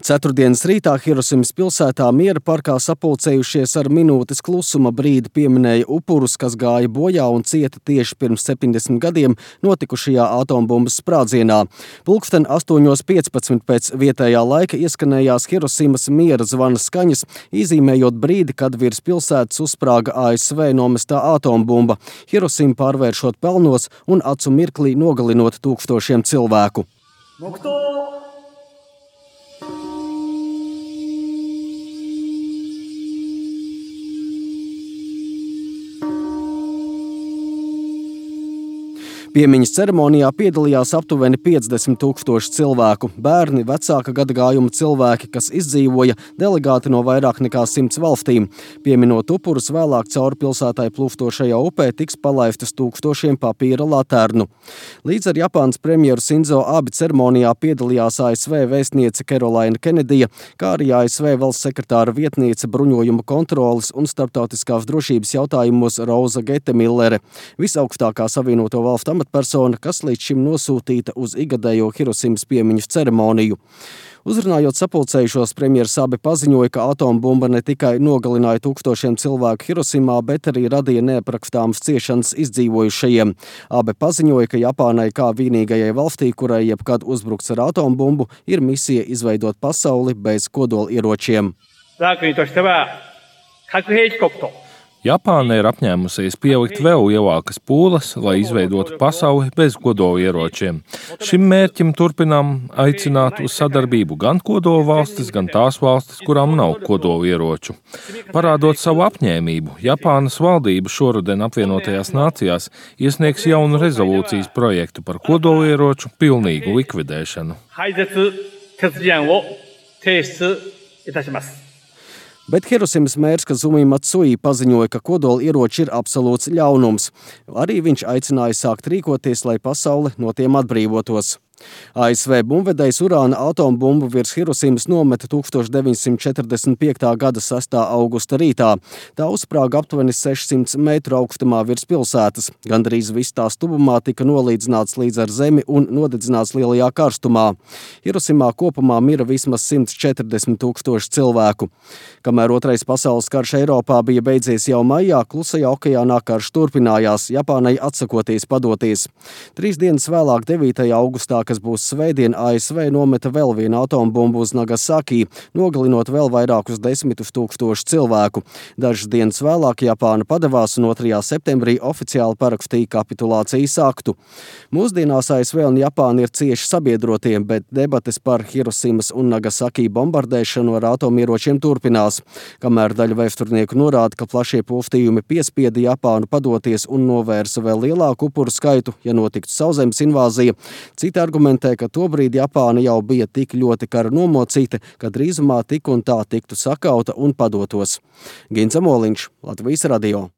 Ceturtdienas rītā Hirosimas pilsētā Miera parkā sapulcējušies ar minūtes klusuma brīdi pieminēja upurus, kas gāja bojā un cieta tieši pirms 70 gadiem notikušajā atombumbas sprādzienā. Pulksten 8:15 pēc vietējā laika ieskanējās Hirosimas miera zvana skaņas, izzīmējot brīdi, kad virs pilsētas uzsprāga ASV nomestā atombumba, Hirosima pārvēršot pelnos un acu mirklī nogalinot tūkstošiem cilvēku. Piemiņas ceremonijā piedalījās aptuveni 50 000 cilvēku, bērni, vecāka gadagājuma cilvēki, kas izdzīvoja, delegāti no vairāk nekā 100 valstīm. Pieminot upurus, vēlāk cauri pilsētai plūstošajā upē tiks palaistas tūkstošiem papīra laternu. Līdz ar Japānas premjeru Sinzo Abe ceremonijā piedalījās ASV vēstniece Kerolaina Kenedija, kā arī ASV valsts sekretāra vietniece bruņojuma kontroles un starptautiskās drošības jautājumos Roza Getemillere, visaugstākā Savienoto Valstu persona, kas līdz šim nosūtīta uz igadējo Hirosimas piemiņas ceremoniju. Uzrunājot sapulcējušos, premjers Abe paziņoja, ka atombumba ne tikai nogalināja tūkstošiem cilvēku Hirosimā, bet arī radīja neaprakstāmas ciešanas izdzīvojušajiem. Abe paziņoja, ka Japānai kā vienīgajai valstī, kurai jebkad uzbrukts ar atombumbu, ir misija izveidot pasauli bez kodolieročiem. Japāna ir apņēmusies pielikt vēl lielākas pūles, lai izveidotu pasauli bez kodolieročiem. Šim mērķim turpinām aicināt uz sadarbību gan kodolvalstis, gan tās valstis, kurām nav kodolieroču. Parādot savu apņēmību, Japānas valdība šoruden apvienotajās nācijās iesniegs jaunu rezolūcijas projektu par kodolieroču pilnīgu likvidēšanu. Bet Hirosimas mērs Kazumi Matsui paziņoja, ka kodolieroči ir absolūts ļaunums. Arī viņš aicināja sākt rīkoties, lai pasaule no tiem atbrīvotos. ASV bumbvedējs urāna atombumbu virs Hirosimas nometa 1945. gada 6. augusta rītā. Tā uzsprāga aptuveni 600 metru augstumā virs pilsētas. Gandrīz viss tās tuvumā tika nolīdzināts līdz ar zemi un nodedzināts lielajā karstumā. Hirosimā kopumā mira vismaz 140 000 cilvēku. Kamēr Otrais pasaules karš Eiropā bija beidzies jau maijā, Klusajā okeānā karš turpinājās, Japānai atsakoties padoties. 3 dienas vēlāk, 9. augustā, kas būs svētdien, ASV nometa vēl vienu atombumbu uz Nagasaki, nogalinot vēl vairākus 10 000 cilvēku. Dažas dienas vēlāk Japāna padevās un 2. septembrī oficiāli parakstīja kapitulācijas aktu. Mūsdienās ASV un Japāna ir cieši sabiedrotie, bet debates par Hirosimas un Nagasaki bombardēšanu ar atomieročiem turpinās. Kamēr daļa vēsturnieku norāda, ka plašie postījumi piespieda Japānu padoties un novērsa vēl lielāku upuru skaitu, ja notiktu sauszemes invāzija, citi argumentē, ka tobrīd Japāna jau bija tik ļoti kara nomocīta, ka drīzumā tik un tā tiktu sakauta un padotos. Gins Amoliņš, Latvijas radio.